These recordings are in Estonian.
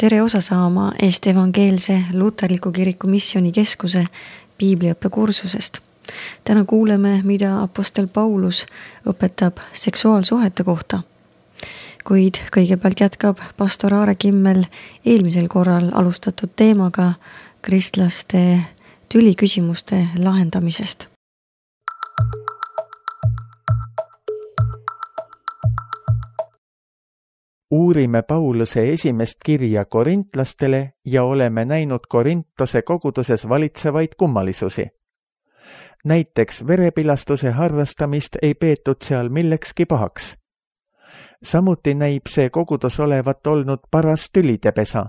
Tere osa saama Eesti Evangeelse Luterliku Kiriku Missioonikeskuse piibliõppekursusest. Täna kuuleme, mida apostel Paulus õpetab seksuaalsuhete kohta. Kuid kõigepealt jätkab pastor Aare Kimmel eelmisel korral alustatud teemaga kristlaste tüliküsimuste lahendamisest. Uurime Pauluse esimest kirja korintlastele ja oleme näinud Korintose koguduses valitsevaid kummalisusi. Näiteks verepilastuse harrastamist ei peetud seal millekski pahaks. Samuti näib see kogudus olevat olnud paras tülidepesa.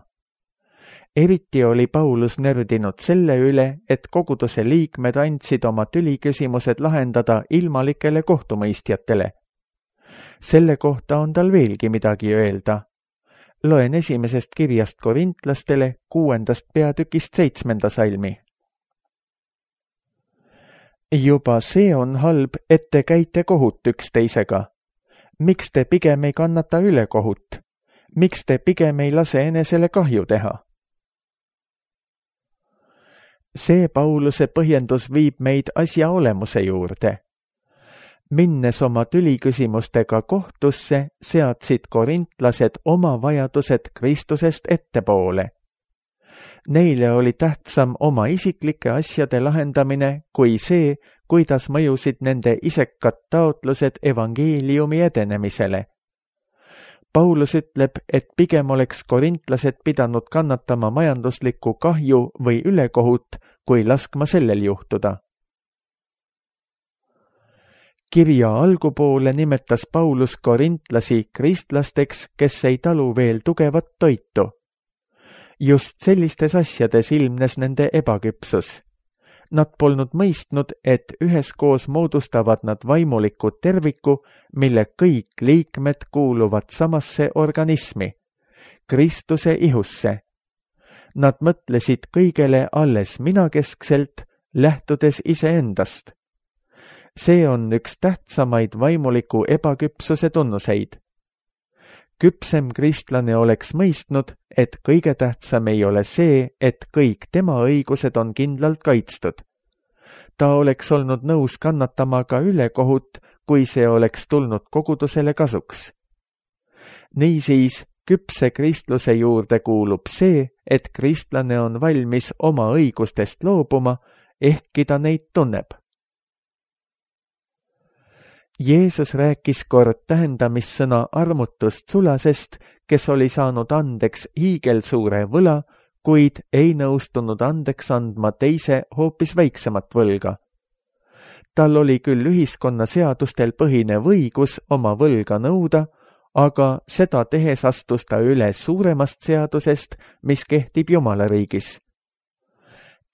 Eriti oli Paulus nördinud selle üle, et koguduse liikmed andsid oma tüliküsimused lahendada ilmalikele kohtumõistjatele. Selle kohta on tal veelgi midagi öelda. Loen esimesest kirjast korintlastele 6. peatükist 7. salmi. Juba see on halb, et te käite kohut üksteisega. Miks te pigem ei kannata ülekohut? Miks te pigem ei lase enesele kahju teha? See Pauluse põhjendus viib meid asja olemuse juurde. Minnes oma tüliküsimustega kohtusse, seadsid korintlased oma vajadused Kristusest ettepoole. Neile oli tähtsam oma isiklike asjade lahendamine kui see, kuidas mõjusid nende isekad taotlused evangeeliumi edenemisele. Paulus ütleb, et pigem oleks korintlased pidanud kannatama majanduslikku kahju või ülekohut, kui laskma sellel juhtuda. Kirja algupoole nimetas Paulus korintlasi kristlasteks, kes ei talu veel tugevat toitu. Just sellistes asjades ilmnes nende ebaküpsus. Nad polnud mõistnud, et üheskoos moodustavad nad vaimuliku terviku, mille kõik liikmed kuuluvad samasse organismi, Kristuse ihusse. Nad mõtlesid kõigele alles minakeskselt, lähtudes iseendast. See on üks tähtsamaid vaimuliku ebaküpsuse tunnuseid. Küpsem kristlane oleks mõistnud, et kõige tähtsam ei ole see, et kõik tema õigused on kindlalt kaitstud. Ta oleks olnud nõus kannatama ka ülekohut, kui see oleks tulnud kogudusele kasuks. Niisiis, küpse kristluse juurde kuulub see, et kristlane on valmis oma õigustest loobuma, ehkki ta neid tunneb. Jeesus rääkis kord tähendamissõna armutust sulasest, kes oli saanud andeks hiigelsuure võla, kuid ei nõustunud andeks andma teise hoopis väiksemat võlga. Tal oli küll ühiskonna seadustel põhinev õigus oma võlga nõuda, aga seda tehes astus ta üle suuremast seadusest, mis kehtib Jumalariigis.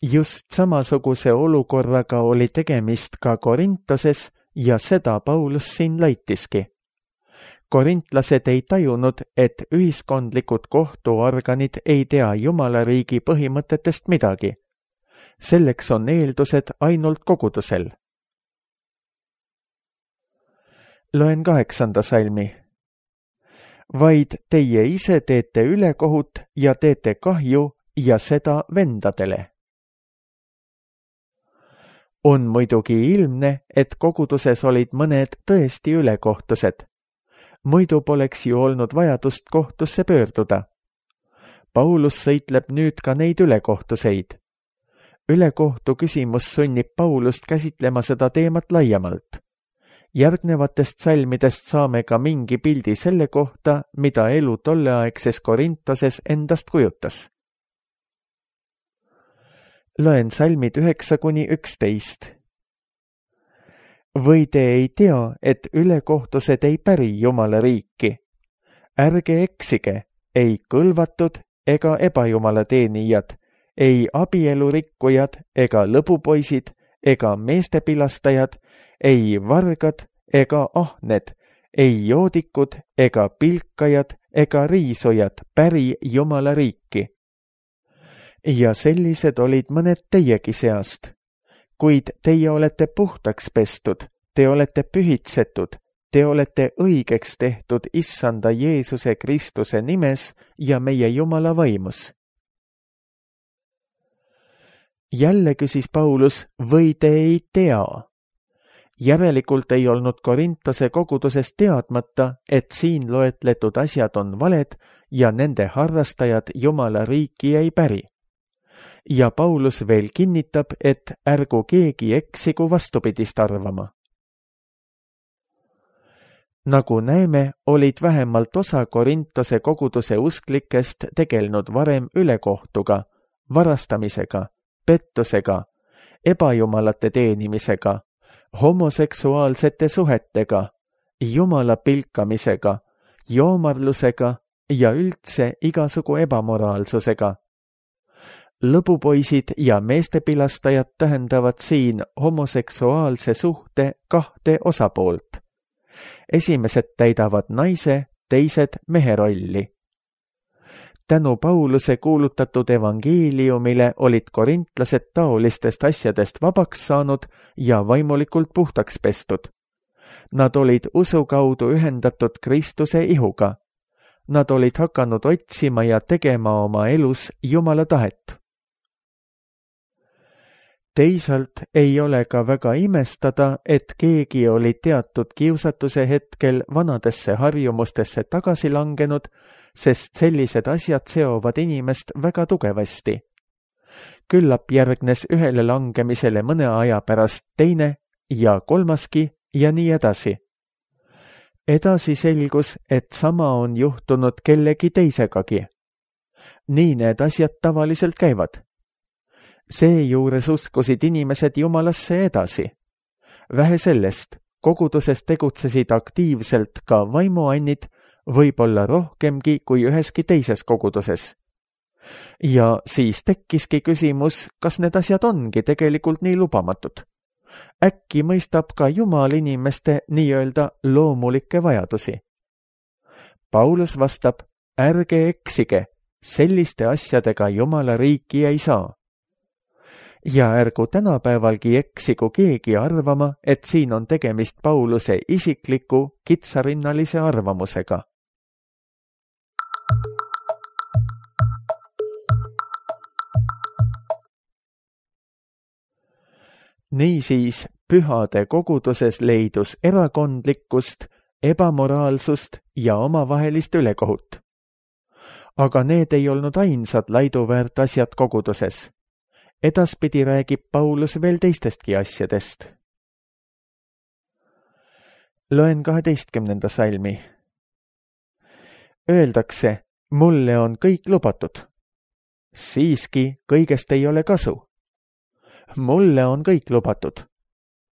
Just samasuguse olukorraga oli tegemist ka Korintoses, ja seda Paulus siin laitiski. Korintlased ei tajunud, et ühiskondlikud kohtuorganid ei tea Jumalariigi põhimõtetest midagi. Selleks on eeldused ainult kogudusel. Loen 8. salmi. Vaid teie ise teete ülekohut ja teete kahju ja seda vendadele. On muidugi ilmne, et koguduses olid mõned tõesti ülekohtused. Muidu poleks ju olnud vajadust kohtusse pöörduda. Paulus sõitleb nüüd ka neid ülekohtuseid. Ülekohtu küsimus sunnib Paulust käsitlema seda teemat laiemalt. Järgnevatest salmidest saame ka mingi pildi selle kohta, mida elu tolleaegses Korintoses endast kujutas. Loen salmid 9-11. Või te ei tea, et ülekohtused ei päri Jumala riiki? Ärge eksige, ei kõlvatud ega ebajumala teenijad, ei abielurikkujad ega lõbupoisid ega meestepilastajad, ei vargad ega ahned, ei joodikud ega pilkajad ega riisujad päri Jumala riiki. Ja sellised olid mõned teiegi seast. Kuid teie olete puhtaks pestud, te olete pühitsetud, te olete õigeks tehtud Issanda Jeesuse Kristuse nimes ja meie Jumala vaimus. Jälle küsis Paulus, või te ei tea? Järelikult ei olnud Korintose koguduses teadmata, et siin loetletud asjad on valed ja nende harrastajad Jumala riiki ei päri. Ja Paulus veel kinnitab, et ärgu keegi eksigu vastupidist arvama. Nagu näeme, olid vähemalt osa Korintose koguduse usklikest tegelenud varem ülekohtuga, varastamisega, pettusega, ebajumalate teenimisega, homoseksuaalsete suhetega, Jumala pilkamisega, joomarlusega ja üldse igasugu ebamoraalsusega. Lõbupoisid ja meestepilastajad tähendavad siin homoseksuaalse suhte kahte osapoolt. Esimesed täidavad naise, teised mehe rolli. Tänu Pauluse kuulutatud evangeeliumile olid korintlased taolistest asjadest vabaks saanud ja vaimulikult puhtaks pestud. Nad olid usu kaudu ühendatud Kristuse ihuga. Nad olid hakanud otsima ja tegema oma elus Jumala tahet. Teisalt ei ole ka väga imestada, et keegi oli teatud kiusatuse hetkel vanadesse harjumustesse tagasi langenud, sest sellised asjad seovad inimest väga tugevasti. Küllap järgnes ühele langemisele mõne aja pärast teine ja kolmaski ja nii edasi. Edasi selgus, et sama on juhtunud kellegi teisegagi. Nii need asjad tavaliselt käivad. Seejuures uskusid inimesed Jumalasse edasi. Vähe sellest, koguduses tegutsesid aktiivselt ka vaimuannid, võib-olla rohkemgi kui üheski teises koguduses. Ja siis tekkiski küsimus, kas need asjad ongi tegelikult nii lubamatud. Äkki mõistab ka Jumal inimeste nii-öelda loomulikke vajadusi. Paulus vastab, ärge eksige, selliste asjadega Jumala riiki ei saa. Ja ärgu tänapäevalgi eksigu keegi arvama, et siin on tegemist Pauluse isikliku kitsarinnalise arvamusega. Niisiis, pühade koguduses leidus erakondlikkust, ebamoraalsust ja omavahelist ülekohut. Aga need ei olnud ainsad laiduväärt asjad koguduses. Edaspidi räägib Paulus veel teistestki asjadest. Loen 12. salmi. Öeldakse, mulle on kõik lubatud. Siiski kõigest ei ole kasu. Mulle on kõik lubatud.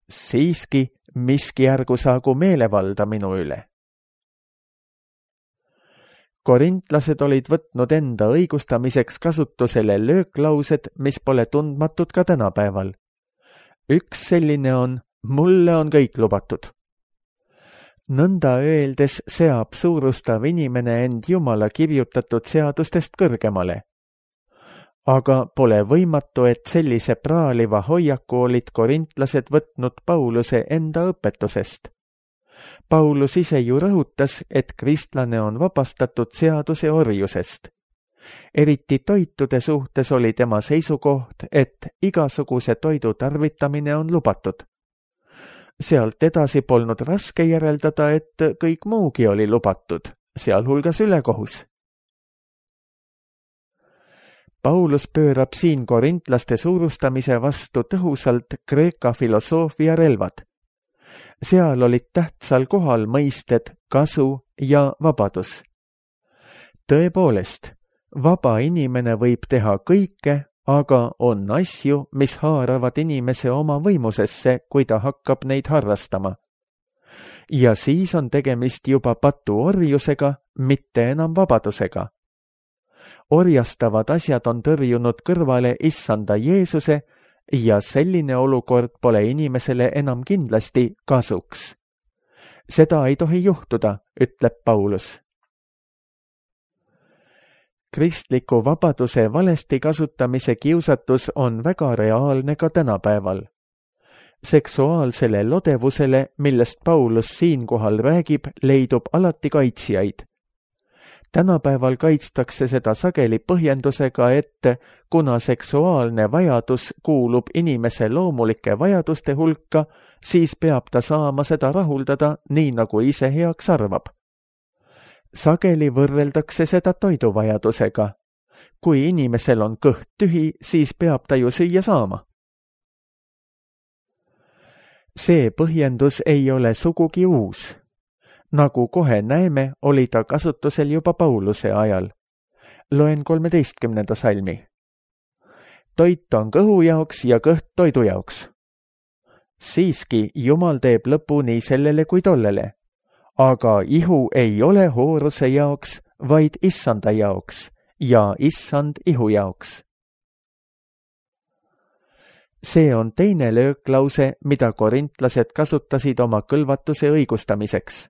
Siiski miski ärgu saagu meelevalda minu üle. Korintlased olid võtnud enda õigustamiseks kasutusele lööklaused, mis pole tundmatud ka tänapäeval. Üks selline on, mulle on kõik lubatud. Nõnda öeldes seab suurustav inimene end Jumala kirjutatud seadustest kõrgemale. Aga pole võimatu, et sellise praaliva hoiaku olid korintlased võtnud Pauluse enda õpetusest. Paulus ise ju rõhutas, et kristlane on vabastatud seaduse orjusest. Eriti toitude suhtes oli tema seisukoht, et igasuguse toidu tarvitamine on lubatud. Sealt edasi polnud raske järeldada, et kõik muugi oli lubatud, sealhulgas ülekohus. Paulus pöörab siin korintlaste suurustamise vastu tõhusalt Kreeka filosoofia relvad. Seal olid tähtsal kohal mõisted kasu ja vabadus. Tõepoolest, vaba inimene võib teha kõike, aga on asju, mis haaravad inimese oma võimusesse, kui ta hakkab neid harrastama. Ja siis on tegemist juba patuorjusega, mitte enam vabadusega. Orjastavad asjad on tõrjunud kõrvale Issanda Jeesuse ja selline olukord pole inimesele enam kindlasti kasuks. Seda ei tohi juhtuda, ütleb Paulus. Kristliku vabaduse valesti kasutamise kiusatus on väga reaalne ka tänapäeval. seksuaalsele lodevusele, millest Paulus siinkohal räägib, leidub alati kaitsjaid. Tänapäeval kaitstakse seda sageli põhjendusega, et kuna seksuaalne vajadus kuulub inimese loomulike vajaduste hulka, siis peab ta saama seda rahuldada nii, nagu ise heaks arvab. Sageli võrreldakse seda toiduvajadusega. Kui inimesel on kõht tühi, siis peab ta ju süüa saama. See põhjendus ei ole sugugi uus. Nagu kohe näeme, oli ta kasutusel juba Pauluse ajal. Loen 13. salmi. Toit on kõhu jaoks ja kõht toidu jaoks. Siiski Jumal teeb lõpu nii sellele kui tollele. Aga ihu ei ole hooruse jaoks, vaid issanda jaoks ja issand ihu jaoks. See on teine lööklause, mida korintlased kasutasid oma kõlvatuse õigustamiseks.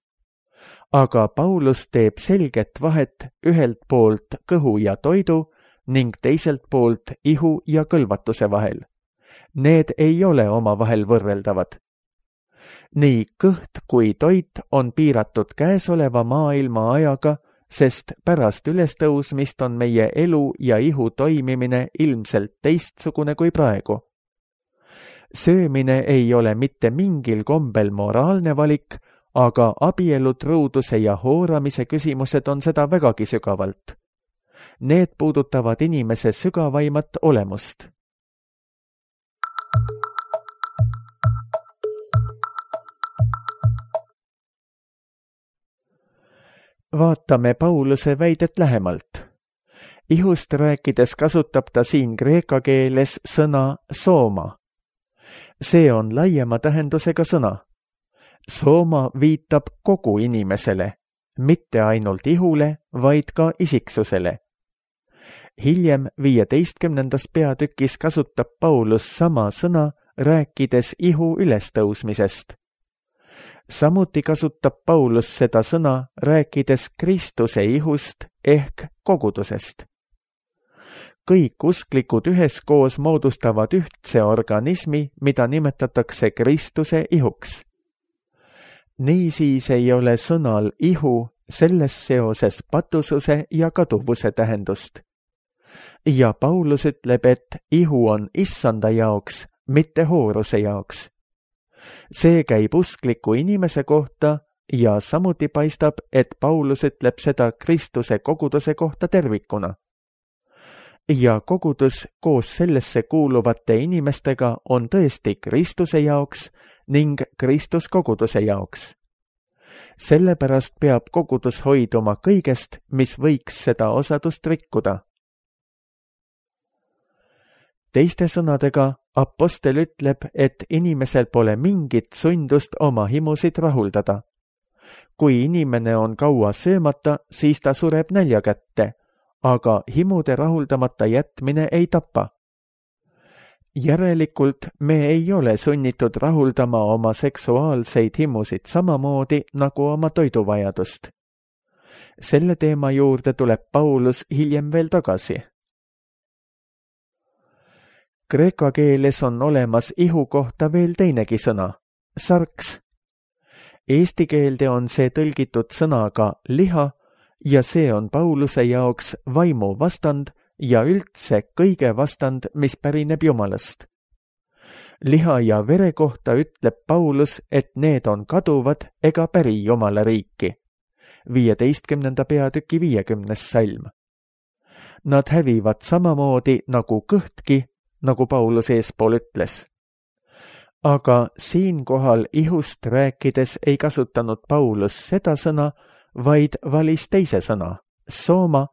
Aga Paulus teeb selget vahet ühelt poolt kõhu ja toidu ning teiselt poolt ihu ja kõlvatuse vahel. Need ei ole omavahel võrreldavad. Nii kõht kui toit on piiratud käesoleva maailma ajaga, sest pärast ülestõusmist on meie elu ja ihu toimimine ilmselt teistsugune kui praegu. Söömine ei ole mitte mingil kombel moraalne valik, aga abielutruuduse ja hooramise küsimused on seda vägagi sügavalt. Need puudutavad inimese sügavaimat olemust. Vaatame Pauluse väidet lähemalt. Ihust rääkides kasutab ta siin kreeka keeles sõna sooma. See on laiema tähendusega sõna. Sooma viitab kogu inimesele, mitte ainult ihule, vaid ka isiksusele. Hiljem 15. peatükis kasutab Paulus sama sõna, rääkides ihu ülestõusmisest. Samuti kasutab Paulus seda sõna, rääkides Kristuse ihust ehk kogudusest. Kõik usklikud üheskoos moodustavad ühtse organismi, mida nimetatakse Kristuse ihuks. Niisiis ei ole sõnal ihu selles seoses patususe ja kaduvuse tähendust. Ja Paulus ütleb, et ihu on issanda jaoks, mitte hooruse jaoks. See käib uskliku inimese kohta ja samuti paistab, et Paulus ütleb seda Kristuse koguduse kohta tervikuna. Ja kogudus koos sellesse kuuluvate inimestega on tõesti Kristuse jaoks ning Kristus koguduse jaoks. Sellepärast peab kogudus hoiduma kõigest, mis võiks seda osadust rikkuda. Teiste sõnadega, apostel ütleb, et inimesel pole mingit sundust oma himusid rahuldada. Kui inimene on kaua söömata, siis ta sureb nälja kätte, aga himude rahuldamata jätmine ei tapa. Järelikult me ei ole sunnitud rahuldama oma seksuaalseid himusid samamoodi nagu oma toiduvajadust. Selle teema juurde tuleb Paulus hiljem veel tagasi. Kreeka keeles on olemas ihu kohta veel teinegi sõna, sarks. Eesti keelde on see tõlgitud sõnaga liha ja see on Pauluse jaoks vaimu vastand ja üldse kõige vastand, mis pärineb Jumalast. Liha ja vere kohta ütleb Paulus, et need on kaduvad ega päri Jumala riiki. 15. peatüki 50. salm. Nad hävivad samamoodi nagu kõhtki, nagu Paulus eespool ütles. Aga siinkohal ihust rääkides ei kasutanud Paulus seda sõna, vaid valis teise sõna, sooma,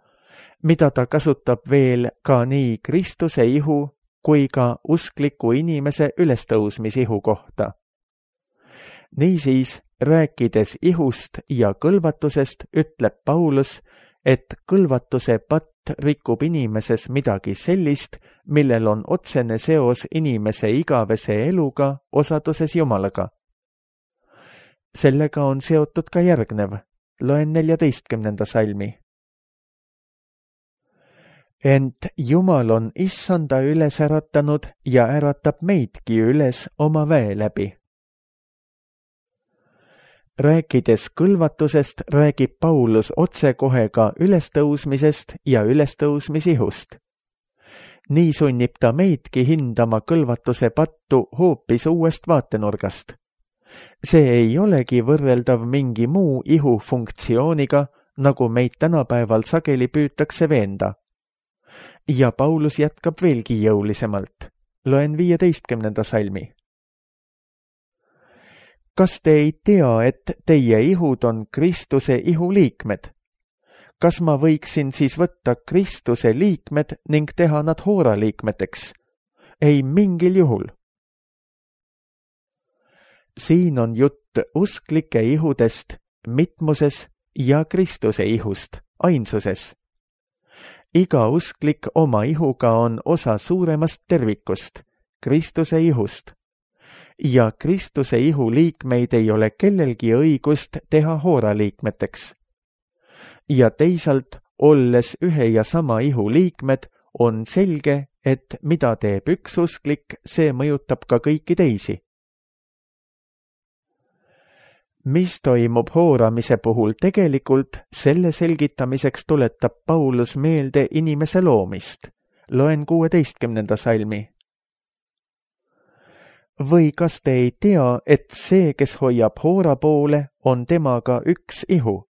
mida ta kasutab veel ka nii Kristuse ihu kui ka uskliku inimese ülestõusmisihu kohta. Niisiis, rääkides ihust ja kõlvatusest, ütleb Paulus, et kõlvatuse patt rikub inimeses midagi sellist, millel on otsene seos inimese igavese eluga osaduses Jumalaga. Sellega on seotud ka järgnev. Loen 14. salmi. Ent Jumal on issanda üles äratanud ja äratab meidki üles oma väe läbi. Rääkides kõlvatusest, räägib Paulus otsekohe ka ülestõusmisest ja ülestõusmisihust. Nii sunnib ta meidki hindama kõlvatuse pattu hoopis uuest vaatenurgast. See ei olegi võrreldav mingi muu ihu funktsiooniga, nagu meid tänapäeval sageli püütakse veenda. Ja Paulus jätkab veelgi jõulisemalt. Loen 15. salmi. Kas te ei tea, et teie ihud on Kristuse ihuliikmed? Kas ma võiksin siis võtta Kristuse liikmed ning teha nad hooraliikmeteks? Ei mingil juhul. Siin on jutt usklike ihudest, mitmuses ja Kristuse ihust, ainsuses. Iga usklik oma ihuga on osa suuremast tervikust, Kristuse ihust. Ja Kristuse ihu liikmeid ei ole kellelgi õigust teha hooraliikmeteks. Ja teisalt, olles ühe ja sama ihu liikmed, on selge, et mida teeb üks usklik, see mõjutab ka kõiki teisi. Mis toimub hooramise puhul tegelikult, selle selgitamiseks tuletab Paulus meelde inimese loomist. Loen 16. salmi. Või kas te ei tea, et see, kes hoiab hoora poole, on temaga üks ihu?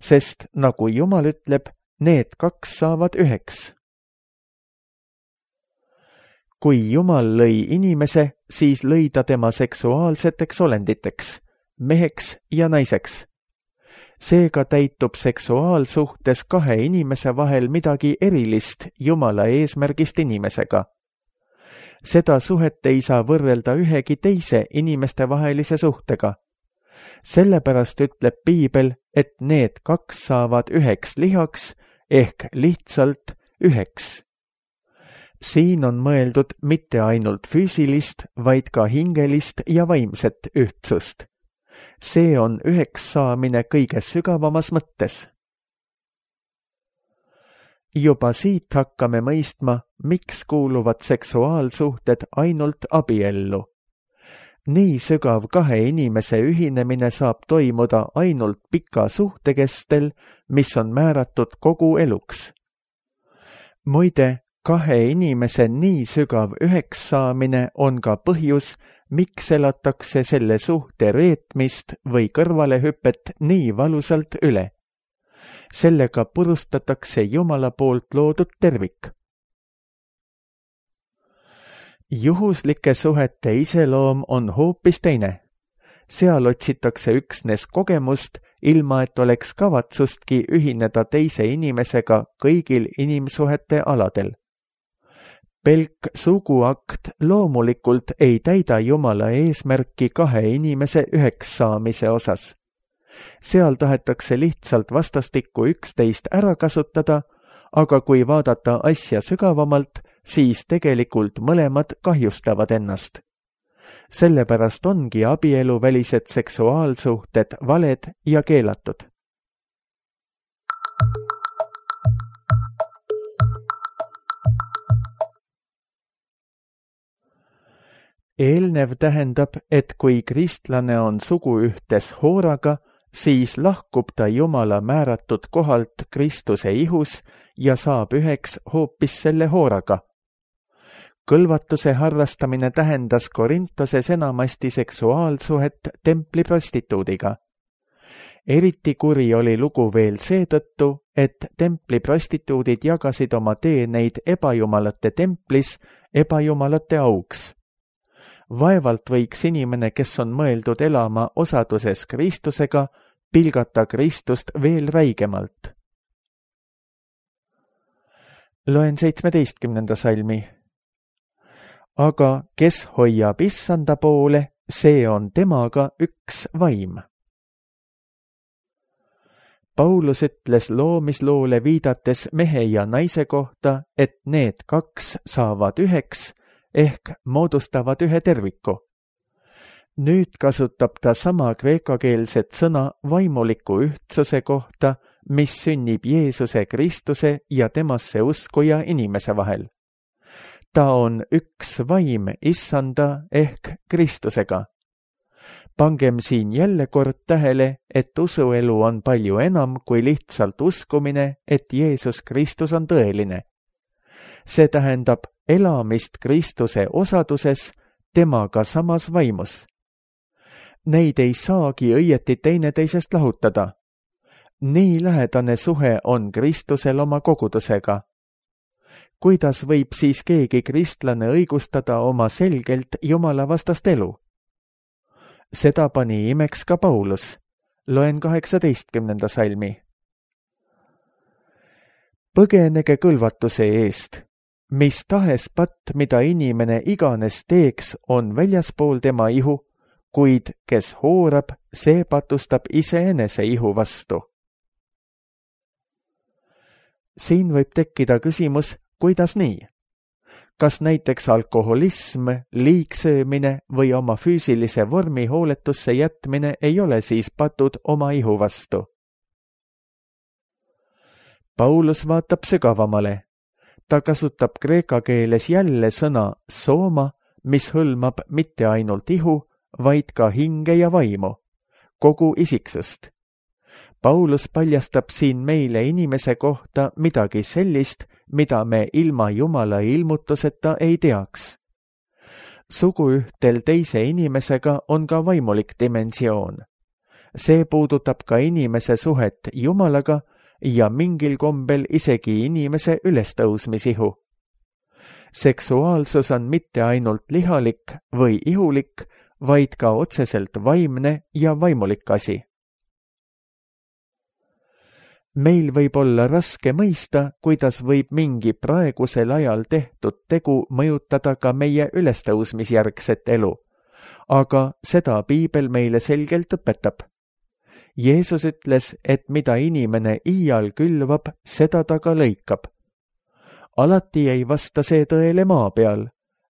Sest nagu Jumal ütleb, need kaks saavad üheks. Kui Jumal lõi inimese, siis lõi ta tema seksuaalseteks olenditeks, meheks ja naiseks. Seega täitub seksuaalsuhtes kahe inimese vahel midagi erilist Jumala eesmärgist inimesega. Seda suhet ei saa võrrelda ühegi teise inimeste vahelise suhtega. Sellepärast ütleb Piibel, et need kaks saavad üheks lihaks ehk lihtsalt üheks. Siin on mõeldud mitte ainult füüsilist, vaid ka hingelist ja vaimset ühtsust. See on üheks saamine kõige sügavamas mõttes. Juba siit hakkame mõistma, miks kuuluvad seksuaalsuhted ainult abiellu. Nii sügav kahe inimese ühinemine saab toimuda ainult pika suhte kestel, mis on määratud kogu eluks. Muide, kahe inimese nii sügav üheks saamine on ka põhjus, miks elatakse selle suhte reetmist või kõrvalehüpet nii valusalt üle. Sellega purustatakse Jumala poolt loodud tervik. Juhuslike suhete iseloom on hoopis teine. Seal otsitakse üksnes kogemust, ilma et oleks kavatsustki ühineda teise inimesega kõigil inimsuhete aladel. Pelk suguakt loomulikult ei täida Jumala eesmärki kahe inimese üheks saamise osas. Seal tahetakse lihtsalt vastastikku üksteist ära kasutada, aga kui vaadata asja sügavamalt, siis tegelikult mõlemad kahjustavad ennast. Sellepärast ongi abieluvälised seksuaalsuhted valed ja keelatud. Eelnev tähendab, et kui kristlane on suguühtes hooraga, siis lahkub ta Jumala määratud kohalt Kristuse ihus ja saab üheks hoopis selle hooraga. Kõlvatuse harrastamine tähendas Korintoses enamasti seksuaalsuhet templiprostituudiga. Eriti kuri oli lugu veel seetõttu, et templiprostituudid jagasid oma teeneid ebajumalate templis ebajumalate auks. Vaevalt võiks inimene, kes on mõeldud elama osaduses Kristusega, pilgata Kristust veel räigemalt. Loen 17. salmi. Aga kes hoiab issanda poole, see on temaga üks vaim. Paulus ütles loomisloole viidates mehe ja naise kohta, et need kaks saavad üheks, ehk moodustavad ühe terviku. Nüüd kasutab ta sama kreekakeelset sõna vaimuliku ühtsuse kohta, mis sünnib Jeesuse Kristuse ja temasse uskuja inimese vahel. Ta on üks vaim issanda ehk Kristusega. Pangem siin jälle kord tähele, et usuelu on palju enam kui lihtsalt uskumine, et Jeesus Kristus on tõeline. See tähendab elamist Kristuse osaduses, temaga samas vaimus. Neid ei saagi õieti teineteisest lahutada. Nii lähedane suhe on Kristusel oma kogudusega. Kuidas võib siis keegi kristlane õigustada oma selgelt Jumala vastast elu? Seda pani imeks ka Paulus. Loen 18. salmi. Põgenege kõlvatuse eest. Mis tahes patt, mida inimene iganes teeks, on väljaspool tema ihu, kuid kes hoorab, see patustab iseenese ihu vastu. Siin võib tekkida küsimus, kuidas nii? Kas näiteks alkoholism, liigsöömine või oma füüsilise vormi hooletusse jätmine ei ole siis patud oma ihu vastu? Paulus vaatab sügavamale. Ta kasutab kreeka keeles jälle sõna sooma, mis hõlmab mitte ainult ihu, vaid ka hinge ja vaimu, kogu isiksust. Paulus paljastab siin meile inimese kohta midagi sellist, mida me ilma Jumala ilmutuseta ei teaks. Suguühtel teise inimesega on ka vaimulik dimensioon. See puudutab ka inimese suhet Jumalaga ja mingil kombel isegi inimese ülestõusmisihu. Seksuaalsus on mitte ainult lihalik või ihulik, vaid ka otseselt vaimne ja vaimulik asi. Meil võib olla raske mõista, kuidas võib mingi praegusel ajal tehtud tegu mõjutada ka meie ülestõusmisjärgset elu, aga seda Piibel meile selgelt õpetab. Jeesus ütles, et mida inimene iial külvab, seda ta ka lõikab. Alati ei vasta see tõele maa peal.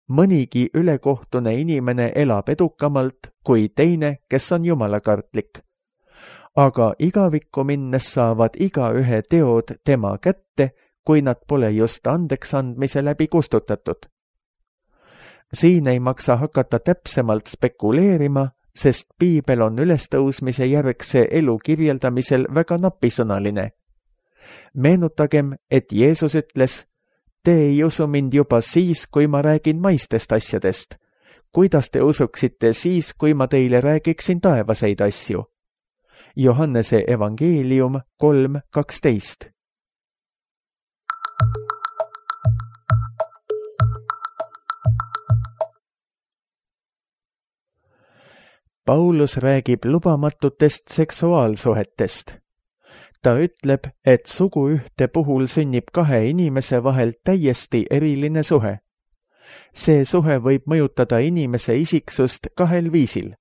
Mõnigi ülekohtune inimene elab edukamalt kui teine, kes on jumalakartlik. Aga igavikku minnes saavad igaühe teod tema kätte, kui nad pole just andeks andmise läbi kustutatud. Siin ei maksa hakata täpsemalt spekuleerima, sest Piibel on ülestõusmise järgse elu kirjeldamisel väga napisõnaline. Meenutagem, et Jeesus ütles, te ei usu mind juba siis, kui ma räägin maistest asjadest. Kuidas te usuksite siis, kui ma teile räägiksin taevaseid asju? Johannese evangeelium 3:12. Paulus räägib lubamatutest seksuaalsuhetest. Ta ütleb, et suguühte puhul sünnib kahe inimese vahel täiesti eriline suhe. See suhe võib mõjutada inimese isiksust kahel viisil.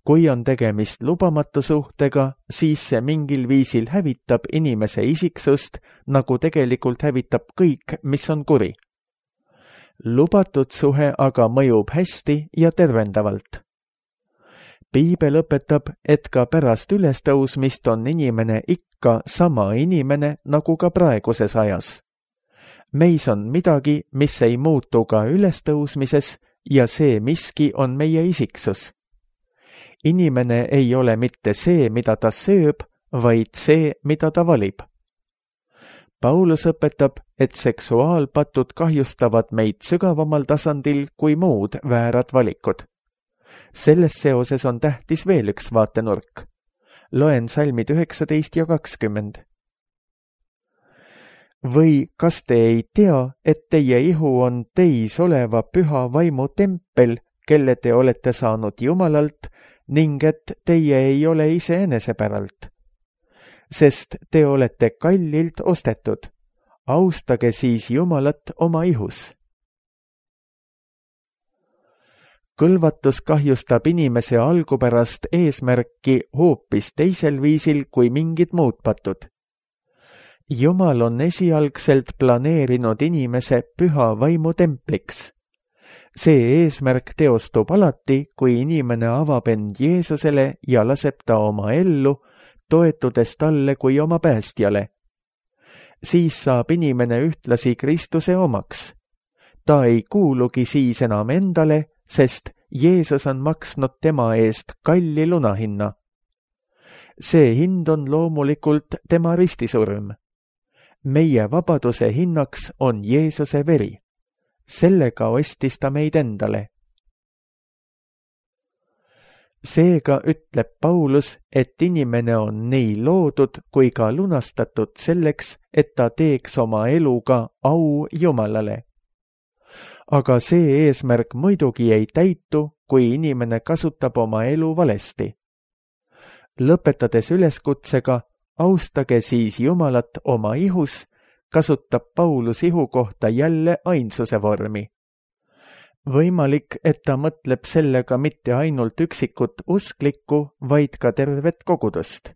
Kui on tegemist lubamatu suhtega, siis see mingil viisil hävitab inimese isiksust, nagu tegelikult hävitab kõik, mis on kuri. Lubatud suhe aga mõjub hästi ja tervendavalt. Piibel õpetab, et ka pärast ülestõusmist on inimene ikka sama inimene nagu ka praeguses ajas. Meis on midagi, mis ei muutu ka ülestõusmises ja see miski on meie isiksus. Inimene ei ole mitte see, mida ta sööb, vaid see, mida ta valib. Paulus õpetab, et seksuaalpatud kahjustavad meid sügavamal tasandil kui muud väärad valikud. Selles seoses on tähtis veel üks vaatenurk. Loen salmid 19 ja 20. Või kas te ei tea, et teie ihu on teis oleva püha vaimu tempel, kelle te olete saanud Jumalalt, ning et teie ei ole iseenese päralt? Sest te olete kallilt ostetud. Austage siis Jumalat oma ihus. Kõlvatus kahjustab inimese algupärast eesmärki hoopis teisel viisil kui mingid muud patud. Jumal on esialgselt planeerinud inimese püha vaimu templiks. See eesmärk teostub alati, kui inimene avab end Jeesusele ja laseb ta oma ellu, toetudes talle kui oma päästjale. Siis saab inimene ühtlasi Kristuse omaks. Ta ei kuulugi siis enam endale, sest Jeesus on maksnud tema eest kalli lunahinna. See hind on loomulikult tema ristisurm. Meie vabaduse hinnaks on Jeesuse veri. Sellega ostis ta meid endale. Seega ütleb Paulus, et inimene on nii loodud kui ka lunastatud selleks, et ta teeks oma eluga au Jumalale. Aga see eesmärk muidugi ei täitu, kui inimene kasutab oma elu valesti. Lõpetades üleskutsega, austage siis Jumalat oma ihus, kasutab Paulus ihu kohta jälle ainsuse vormi. Võimalik, et ta mõtleb sellega mitte ainult üksikut usklikku, vaid ka tervet kogudust.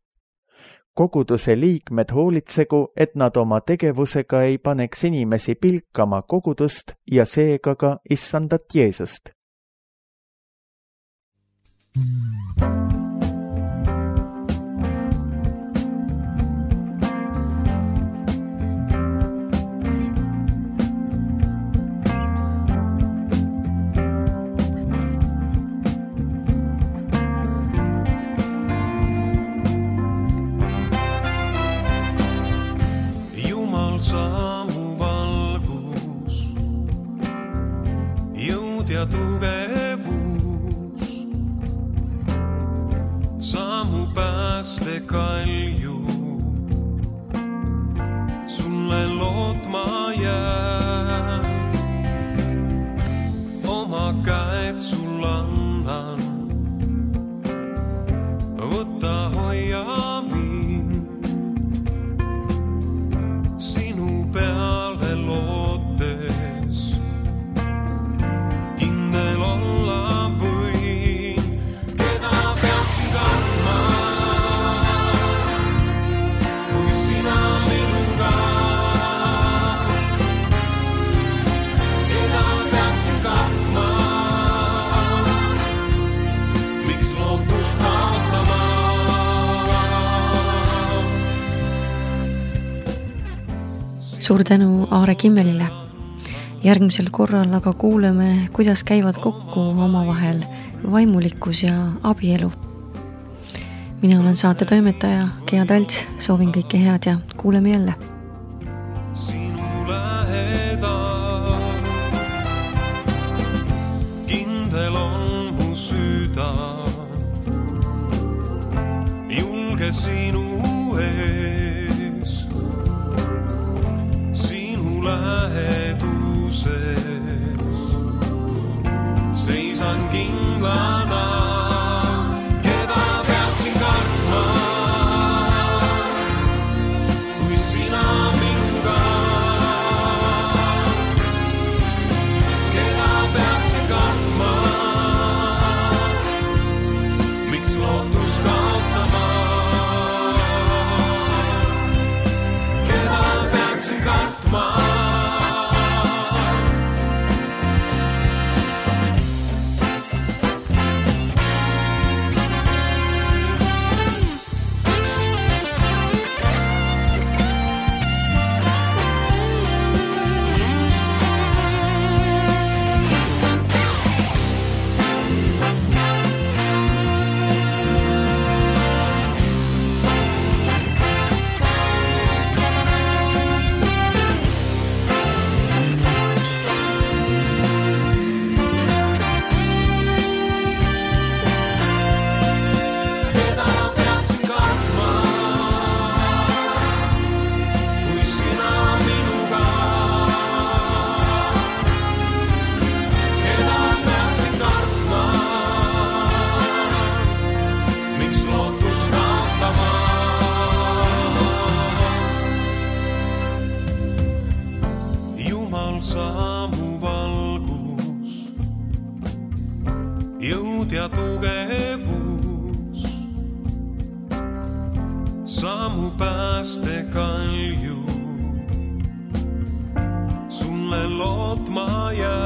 Koguduse liikmed hoolitsegu, et nad oma tegevusega ei paneks inimesi pilkama kogudust ja seega ka issandat Jeesust. Ja tugevus, samu päästekalju, sulle lootma jää. Oma käed sul annan, võta hoia mind, sinu peale lootes. Suur tänu Aare Kimmelile. Järgmisel korral aga kuuleme, kuidas käivad kokku omavahel vaimulikkus ja abielu. Mina olen saate toimetaja Gea Talts, soovin kõike head ja kuuleme jälle. Sinu lähedal, kindel on mu süda, julge sinu ees, sinu läheduses, seisan kindlana. Samu valgus, jõud ja tugevus, samu päästekalju, sulle lootma jää.